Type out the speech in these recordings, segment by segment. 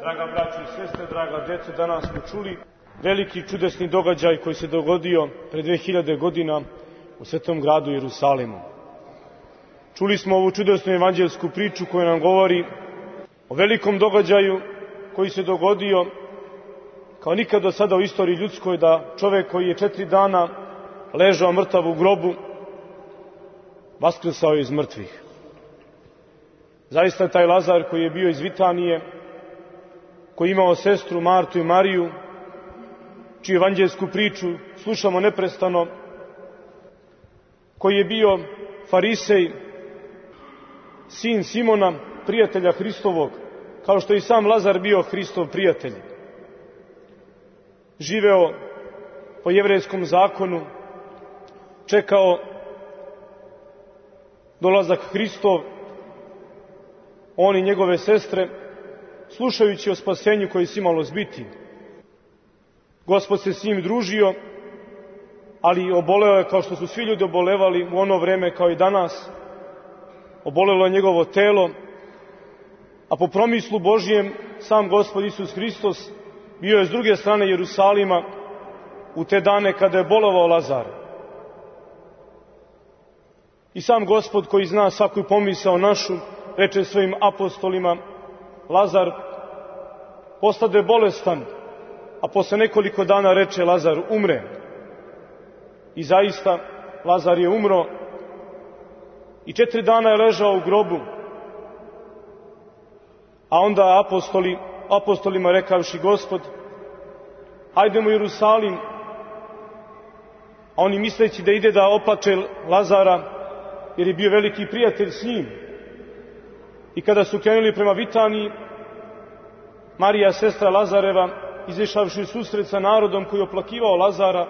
Draga braćo i sestre, draga djeco, danas smo čuli veliki čudesni događaj koji se dogodio pred 2000 godina u svetom gradu Jerusalimu. Čuli smo ovu čudesnu evanđelsku priču koja nam govori o velikom događaju koji se dogodio kao nikad do sada u istoriji ljudskoj, da čovjek koji je 4 dana ležao mrtav u grobu vaskrsao iz mrtvih. Zaista taj Lazar koji je bio iz Vitanije, koji je imao sestru Martu i Mariju, čiju evanđelsku priču slušamo neprestano, koji je bio farisej, sin Simona, prijatelja Hristovog, kao što je i sam Lazar bio Hristov prijatelj. Živeo po jevrejskom zakonu, čekao dolazak Hristov, on i njegove sestre, slušajući o spasenju koje se imalo zbiti. Gospod se s njim družio, ali oboleo je kao što su svi ljudi obolevali u ono vreme kao i danas. Obolelo je njegovo telo, a po promislu Božijem sam Gospod Isus Hristos bio je s druge strane Jerusalima u te dane kada je bolovao Lazar. I sam Gospod koji zna svaku pomisao našu, reče svojim apostolima: Lazar postade bolestan, a posle nekoliko dana reče: Lazar umre. I zaista Lazar je umro i 4 dana je ležao u grobu. A onda apostolima rekavši: Gospod, hajdemo u Jerusalim. A oni misleći da ide da oplače Lazara, jer je bio veliki prijatelj s njim. I kada su krenuli prema Vitaniji, Marija, sestra Lazareva, izišavši u susret sa narodom koji je oplakivao Lazara,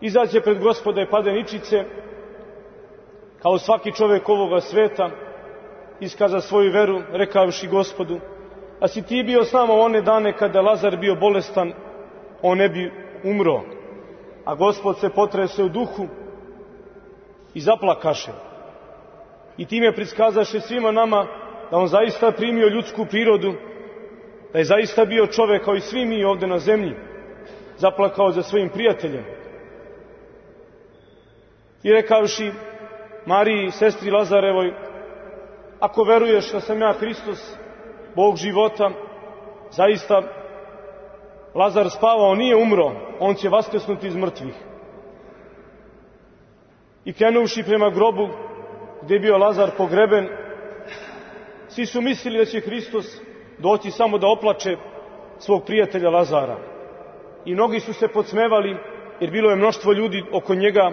izađe pred Gospoda i pade ničice, kao svaki čovjek ovoga sveta, iskaza svoju veru, rekavši Gospodu: a si ti bio s nama one dane kada je Lazar bio bolestan, on ne bi umro. A Gospod se potrese u duhu i zaplakaše. I time priskazaše svima nama da on zaista primio ljudsku prirodu, da je zaista bio čovjek kao i svi mi ovdje na zemlji, zaplakao za svojim prijateljem. I rekavši Mariji, sestri Lazarevoj: ako veruješ da sam ja Hristos, Bog života, zaista Lazar spavao, nije umro, on će vaskrsnuti iz mrtvih. I krenuvši prema grobu gdje je bio Lazar pogreben, svi su mislili da će Hristos doći samo da oplače svog prijatelja Lazara. I mnogi su se podsmevali, jer bilo je mnoštvo ljudi oko njega,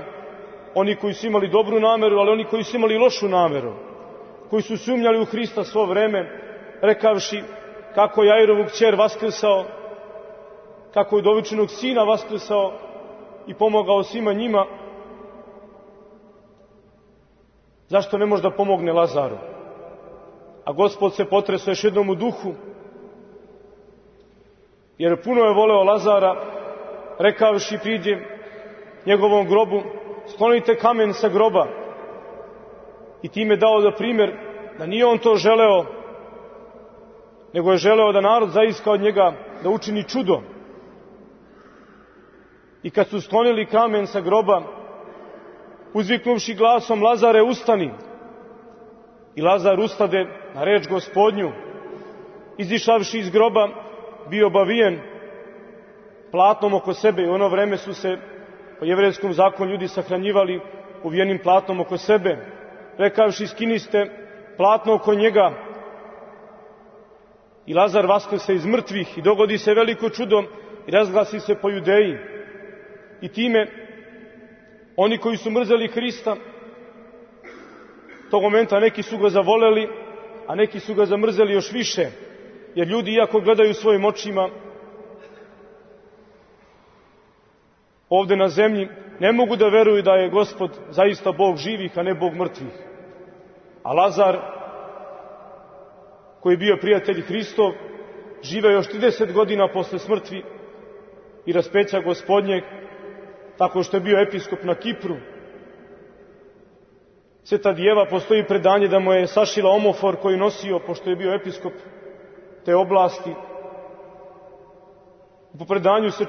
oni koji su imali dobru nameru, ali oni koji su imali lošu nameru, koji su sumnjali u Hrista svo vreme, rekavši kako je Jairovog kćer vaskrsao, kako je udovičenog sina vaskrsao i pomogao svima njima, zašto ne može da pomogne Lazaru? A Gospod se potresao još jednom u duhu, jer puno je voleo Lazara, rekavši priđe njegovom grobu: sklonite kamen sa groba. I time dao da primjer da nije on to želeo, nego je želeo da narod zaiska od njega da učini čudo. I kad su sklonili kamen sa groba, uzviknuvši glasom: Lazare, ustani! I Lazar ustade na reč Gospodnju. Izišavši iz groba, bio obavijen platnom oko sebe. I u ono vreme su se po jevrejskom zakonu ljudi sahranjivali uvijenim platnom oko sebe. Rekavši: skiniste platno oko njega. I Lazar vaskrse iz mrtvih i dogodi se veliko čudo i razglasi se po Judeji. I time oni koji su mrzeli Hrista, tog momenta neki su ga zavoleli, a neki su ga zamrzeli još više. Jer ljudi, iako gledaju svojim očima ovdje na zemlji, ne mogu da veruju da je Gospod zaista Bog živih, a ne Bog mrtvih. A Lazar, koji je bio prijatelj Hristov, žive još 30 godina posle smrti i raspeća Gospodnjeg, tako što je bio episkop na Kipru. Sveta Djeva, postoji predanje da mu je sašila omofor koji nosio, pošto je bio episkop, te oblasti. U predanju se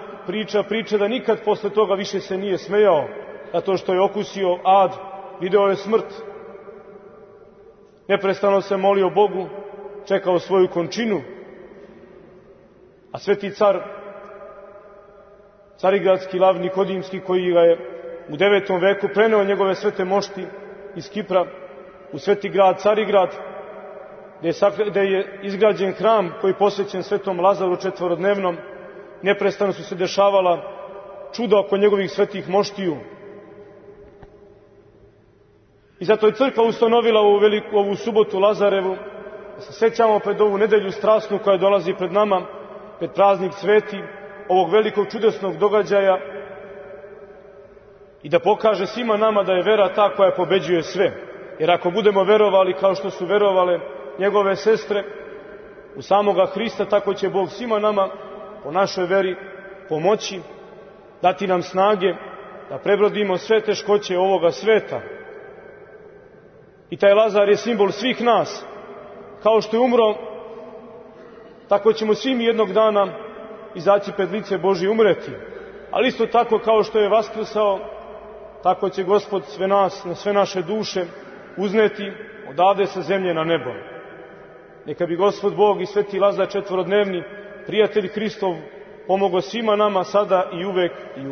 priča da nikad posle toga više se nije smejao, zato što je okusio ad, video je smrt. Neprestano se molio Bogu, čekao svoju končinu, a sveti car, carigradski lav Nikodimski, koji ga je u 9. veku preneo njegove svete mošti iz Kipra u sveti grad Carigrad, gde je izgrađen hram koji je posvećen svetom Lazaru četvorodnevnom. Neprestano su se dešavala čuda oko njegovih svetih moštiju. I zato je crkva ustanovila ovu subotu Lazarevu, da se sećamo pred ovu nedelju strasnu koja dolazi pred nama, pred praznik sveti, ovog velikog čudesnog događaja, i da pokaže svima nama da je vera ta koja pobeđuje sve. Jer ako budemo verovali kao što su verovale njegove sestre u samoga Hrista, tako će Bog svima nama po našoj veri pomoći, dati nam snage da prebrodimo sve teškoće ovoga sveta. I taj Lazar je simbol svih nas. Kao što je umro, tako ćemo svi mi jednog dana izaći pred lice Božje, umreti. Ali isto tako kao što je vaskrsao, tako će Gospod sve nas, na sve naše duše uzneti odavde sa zemlje na nebo. Neka bi Gospod Bog i sveti Lazar četvorodnevni, prijatelj Hristov, pomogao svima nama sada i uvek i uvek.